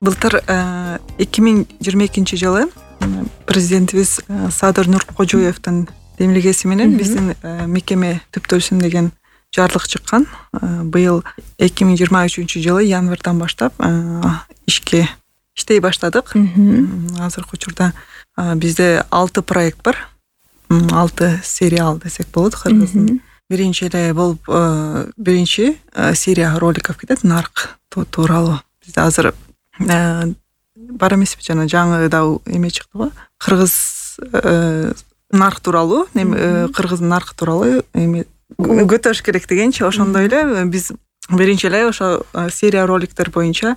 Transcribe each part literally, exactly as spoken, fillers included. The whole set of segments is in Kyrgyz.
Былтыр эки миң жыйырма экинчи жылы президентибиз Садыр Нуркожоевдин демилгеси менен биздин мекеме түптөлсүн деген жарлык чыккан. Быйыл эки миң жыйырма үчүнчү жылы январдан баштап ишке иштей баштадык. Азыркы учурда бизде алты проект бар. алты сериал десек болот. Кыргыздын биринчи эле болуп биринчи серия роликов кетет нарк тууралуу. Бизде азыр бар эмеспи, жана жаңы да эме чыкты го. Кыргыз нарк тууралуу, кыргыздын наркы тууралуу эме көтөрүш керек дегенчи. Ошондой эле биз биринчи эле ошо серия роликтер боюнча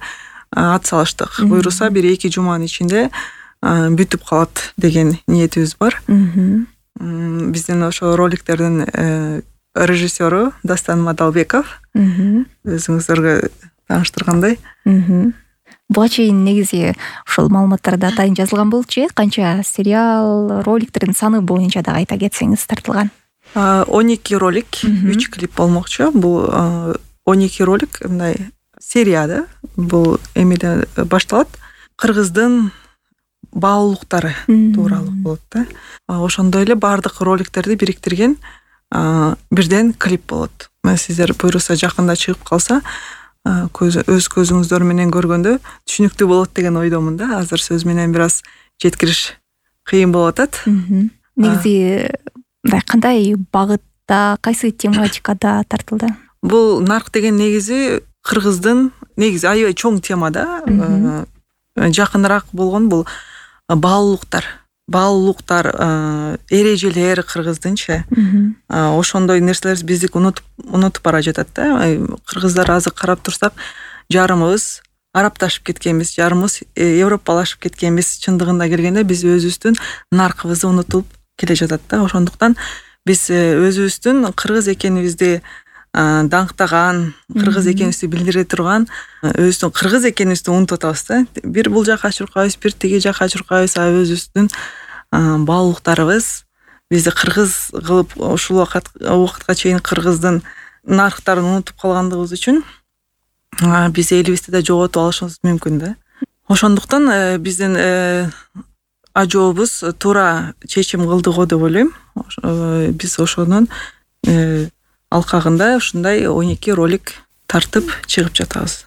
ат салыштык. Буйруса бир эки жуманын ичинде бүтүп калат деген ниетибиз бар. Биздин ошо роликтердин режиссеру Дастан Мадалбеков. Өзүңүздөргө тааныштыргандай. Буга чейин негизи ушул маалыматтарда атайын жазылган болчу, канча сериал, роликтердин саны боюнча да айта кетсеңиз тартылган. он эки ролик, үч клип болмокчу. Бул он эки ролик мындай серияда. Бул эмеден башталат. Кыргыздын баалуулуктары тууралуу болот да. Ошондой эле бардык роликтерди бириктирген бирден клип болот. Сиздер буйруса жакында чыгып калса, өз көзүңүздөр менен көргөндө түшүнүктүү болот деген ойдомун да. Азыр сөз менен бир аз жеткириш кыйын болуп атат. Негизи мындай кандай багытта, кайсы тематикада тартылды? Бул нарк деген негизи кыргыздын негизи аябай чоң тема да. Жакыныраак болгон бул баалуулуктар. Баалуулуктар, эрежелер кыргыздынчы. Ошондой нерселер биздик унутуп унутуп бара жатат да. Кыргыздар азыр карап турсак, жарымыбыз арапташып кеткенбиз, жарымыбыз европалашып кеткенбиз. Чындыгында келгенде биз өзүбүздүн наркыбызды унутуп келе жатат да. Ошондуктан биз өзүбүздүн кыргыз экенибизди даңктаган, кыргыз экенибизди билдире турган, өзүбүздүн кыргыз экенибизди унутуп атабыз да. Бир бул жака чуркайбыз, бир тиги жака чуркайбыз, а өзүбүздүн баалуулуктарыбыз бизди кыргыз кылып ушул убакыт убакытка чейин кыргыздын нарктарын унутуп калгандыгыбыз үчүн биз элибизди да жоготуп алышыбыз мүмкүн да. Ошондуктан биздин ажообуз туура чечим кылды го деп ойлойм. Биз ошонун алкагында ушундай он эки ролик тартып чыгып жатабыз.